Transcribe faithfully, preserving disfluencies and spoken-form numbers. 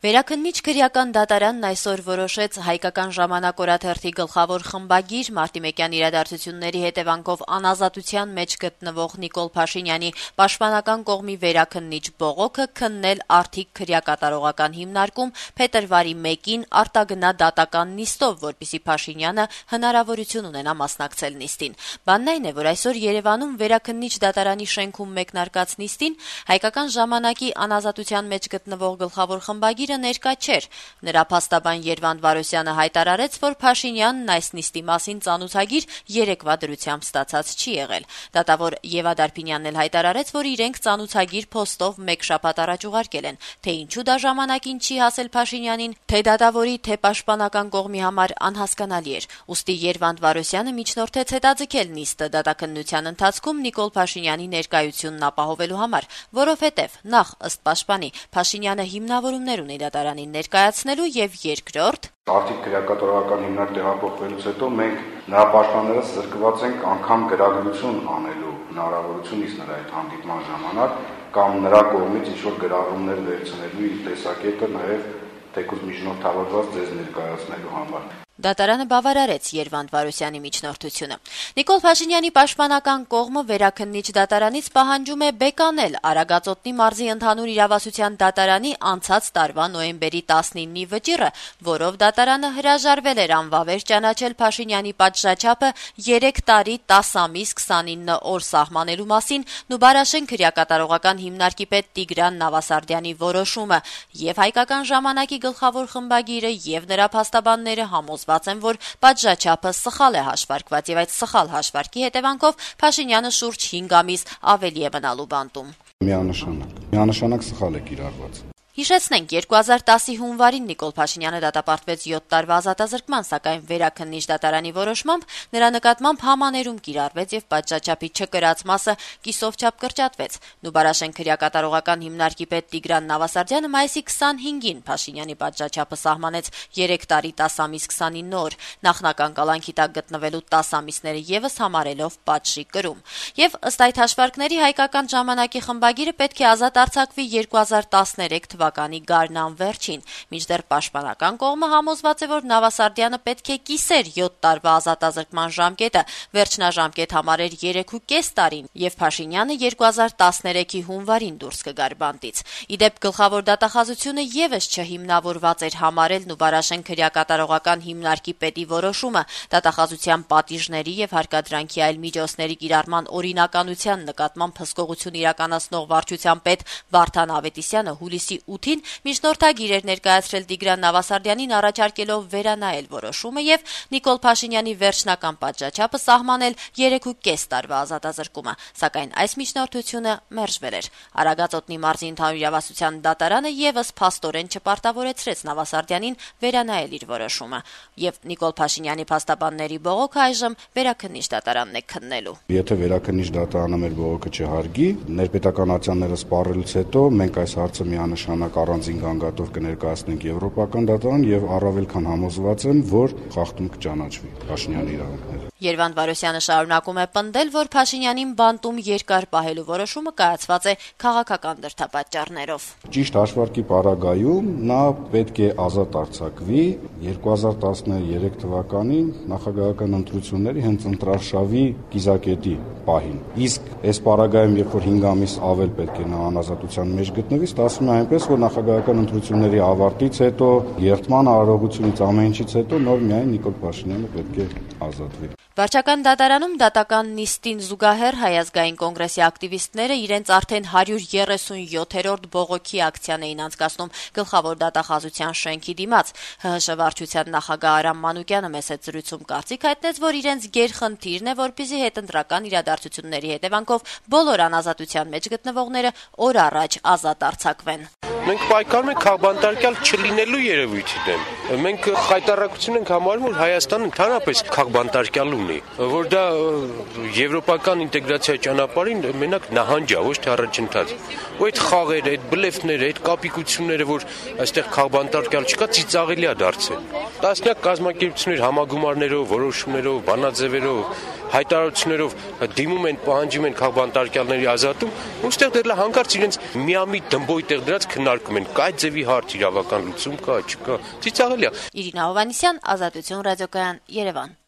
Վերաքննիչ քրեական դատարանն այսօր որոշեց հայկական ժամանակ օրաթերթի գլխավոր խմբագիր Մարտիմեկյան իրադարձությունների հետևանքով անազատության մեջ գտնվող Նիկոլ Փաշինյանի պաշտպանական կողմի վերաքննիչ բողոքը քննել արդիք քրեակատարողական հիմնարկում փետրվարի մեկին արտագնա դատական նիստով, որպեսզի Փաշինյանը հնարավորություն ունենա մասնակցել նիստին։ Բանն այն է, որ այսօր Երևանում վերաքննիչ դատարանի շենքում մեկնարկած նիստին հայկական ժամանակի անազատության մեջ գտնվող գլխավոր խմբագիր ներկա չէր։ Նրա փաստաբան Երվանդ Վարոսյանը հայտարարեց, որ Փաշինյանն այս նիստի մասին ծանոթագիր երեկվա դրությամբ ստացած չի եղել։ Դատավոր Եվա Դարփինյանն էլ հայտարարեց, որ իրենք ծանոթագիր փոստով մեկ շաբաթ առաջ ուղարկել են, թե ինչու դա ժամանակին չի հասել Փաշինյանին, թե դատավորի, թե պաշտպանական կողմի համար անհասկանալի էր։ Ուստի Երվանդ Վարոսյանը միջնորդեց հետաձգել նիստը դատաքննության ընթացքում Նիկոլ Փաշինյանի ներկայությունն ապահովելու համար, որովհետև նախ ըստ պաշտպանի Փաշինյանը հիմնավորումներ ունի դատարանին ներկայացնելու եւ երկրորդ Արդիք քրեակատարողական հիմնարկ տեղափոխվելուց հետո մենք նրա պաշտպաններս զրկված ենք անգամ գրագրություն անելու հնարավորությունից նրա այդ հանդիպման ժամանակ կամ նրա կողմից ինչ-որ գրառումներ վերցնելու իր տեսակետը նաեւ թեկուզ միջնորդավորված ձեզ ներկայացնելու համար։ Դատարանը բավարարեց Երվանդ Վարոսյանի միջնորդությունը։ Նիկոլ Փաշինյանի պաշտպանական կողմը վերաքննիչ դատարանից պահանջում է բեկանել Արագածոտնի մարզի ընդհանուր իրավասության դատարանի անցած տարվա նոյեմբերի տասնինի վճիռը, որով դատարանը հրաժարվել էր անվավեր ճանաչել Փաշինյանի պատժաչափը երեք տարի տասը ամիս քսանինը օր սահմանելու մասին Նուբարաշեն քրեակատարողական հիմնարկի պետ Տիգրան Նավասարդյանի որոշումը, եւ հայկական ժամանակի գլխավոր խմբագիրը եւ նրա փաստաբանները համոզված են, որ պատժաչափը սխալ է հաշվարկված եւ այդ սխալ հաշվարկի հետևանքով Փաշինյանը շուրջ հինգ ամիս ավելի է մնալու բանտում։ Միանշանակ, միանշանակ սխալ է կիրառված։ Հիշեցնենք, երկու հազար տասի հունվարին Նիկոլ Փաշինյանը դատապարտվեց յոթ տարվա ազատազրկման, սակայն վերաքննիչ դատարանի որոշմամբ նրա նկատմամբ համաներում կիրառվեց եւ պատժաչափի չկրած մասը կիսով չափ կրճատվեց։ Նուբարաշեն քրեակատարողական հիմնարկի պետ Տիգրան Նավասարդյանը մայիսի քսանհինգին Փաշինյանի պատժաչափը սահմանեց երեք տարի տասը ամիս քսանինը օր, նախնական կալանքի տակ գտնվելու տասը ամիսները եւս համարելով պատժի կրում։ Եվ ըստ այդ հաշվարկների հայկական ժամանակի խմբագիրը պետք է ազատ արձակվի երկու հազար տասներեք թվականի գարնան վերջին, մինչդեռ պաշտպանական կողմը համոզված է, որ Նավասարդյանը պետք է կիսեր յոթ տարվա ազատազրկման ժամկետը, վերջնաժամկետ համարեր երեքուկես տարին, եւ Փաշինյանը երկու հազար տասներեքի հունվարին դուրս կգար բանտից։ Իդեպ գլխավոր դատախազությունը եւս չհիմնավորված էր համարել Նուբարաշեն քրեակատարողական հիմնարկի պետի որոշումը դատախազության պատիժների եւ հարկադրանքի այլ միջոցների կիրառման օրինականության նկատմամբ հսկողություն իրականացնող վարչության պետ Վարդան Ավետիսյանը հուլիսի ութին միջնորդագիր էր ներկայացրել Տիգրան Նավասարդյանին առաջարկելով վերանայել որոշումը եւ Նիկոլ Փաշինյանի վերջնական պատժաչափը սահմանել երեքուկես տարվա ազատազրկումը, սակայն այս միջնորդությունը մերժվել էր։ Արագածոտնի մարզի ընդհանուր իրավասության դատարանը եւս փաստորեն չպարտավորեցրեց Նավասարդյանին վերանայել իր որոշումը, եւ Նիկոլ Փաշինյանի փաստաբանների բողոքը այժմ վերաքննիչ դատարանն է քննելու։ Եթե վերաքննիչ դատարանը մեր բողոքը չհարգի, ներպետականացիաները սպառելուց հետո մենք այս հարցը միանշանակ առանձին գանգատով կներկայացնենք Եվրոպական դատարան եւ առավել քան համոզված եմ, որ խախտում կճանաչվի Փաշինյանի իրավունքները։ Երվանդ Վարոսյանը շարունակում է պնդել, որ Փաշինյանին բանտում երկար պահելու որոշումը կայացված է քաղաքական դրդապատճառներով։ Ճիշտ հաշվարկի պարագայում նա պետք է ազատ արձակվի երկու հազար տասներեք թվականին նախագահական ընտրությունների հենց ընտրարշավի կիզակետի պահին։ Իսկ այս պարագայում, երբ որ հինգ ամիս ավել պետք է նա անազատության մեջ գտնվի, ստացվում է այնպես, որ նախագահական ընտրությունների ավարտից հետո, երթման արարողությունից ամեն ինչից հետո նոր միայն Նիկոլ Փաշինյանը պետք է ազատվի։ Վարչական դատարանում դատական նիստին զուգահեռ Հայ ազգային կոնգրեսի ակտիվիստները իրենց արդեն հարյուր երեսունյոթերորդ բողոքի ակցիան էին անցկացնում գլխավոր դատախազության շենքի դիմաց։ ՀՀՇ վարչության նախագահ Արամ Մանուկյանը մեծ զրույցում կարծիք հայտնեց, որ իրենց գերխնդիրն է, որպեսզի հետընտրական իրադարձությունների հետևանքով բոլոր անազատության մեջ գտնվողները օր առաջ ազատ արձակվեն։ Մենք պայքարում ենք քաղբանտարկյալ չլինելու երևույթի դեմ։ Մենք խայտառակություն ենք համարում, որ Հայաստանը ընդհանրապես քաղբանտարկյալուն լինի, որ դա եվրոպական ինտեգրացիա ճանապարհին մենակ նահանջ է, ոչ թե առաջընթաց։ Ու այդ խաղերը, այդ բլեֆները, այդ կապիկությունները, որ այստեղ քաղբանտարկյալ չկա, ծիծաղելի է դարձել։ Տասնյակ կազմակերպություններ համագումարներով, որոշումներով, բանաձևերով, հայտարարություններով դիմում են, պահանջում են քաղբանտարկյալների ազատում, ու ստեղ դեռ հանկարծ իրենց միամիտ դմբոյ տեղ դրած քննարկում են, կայ ձևի հարց իրավական լուծում կա, չկա, ծիծաղելի է։ Իրինա Հովհաննիսյան, Ազատություն ռադիոկայան, Երևան։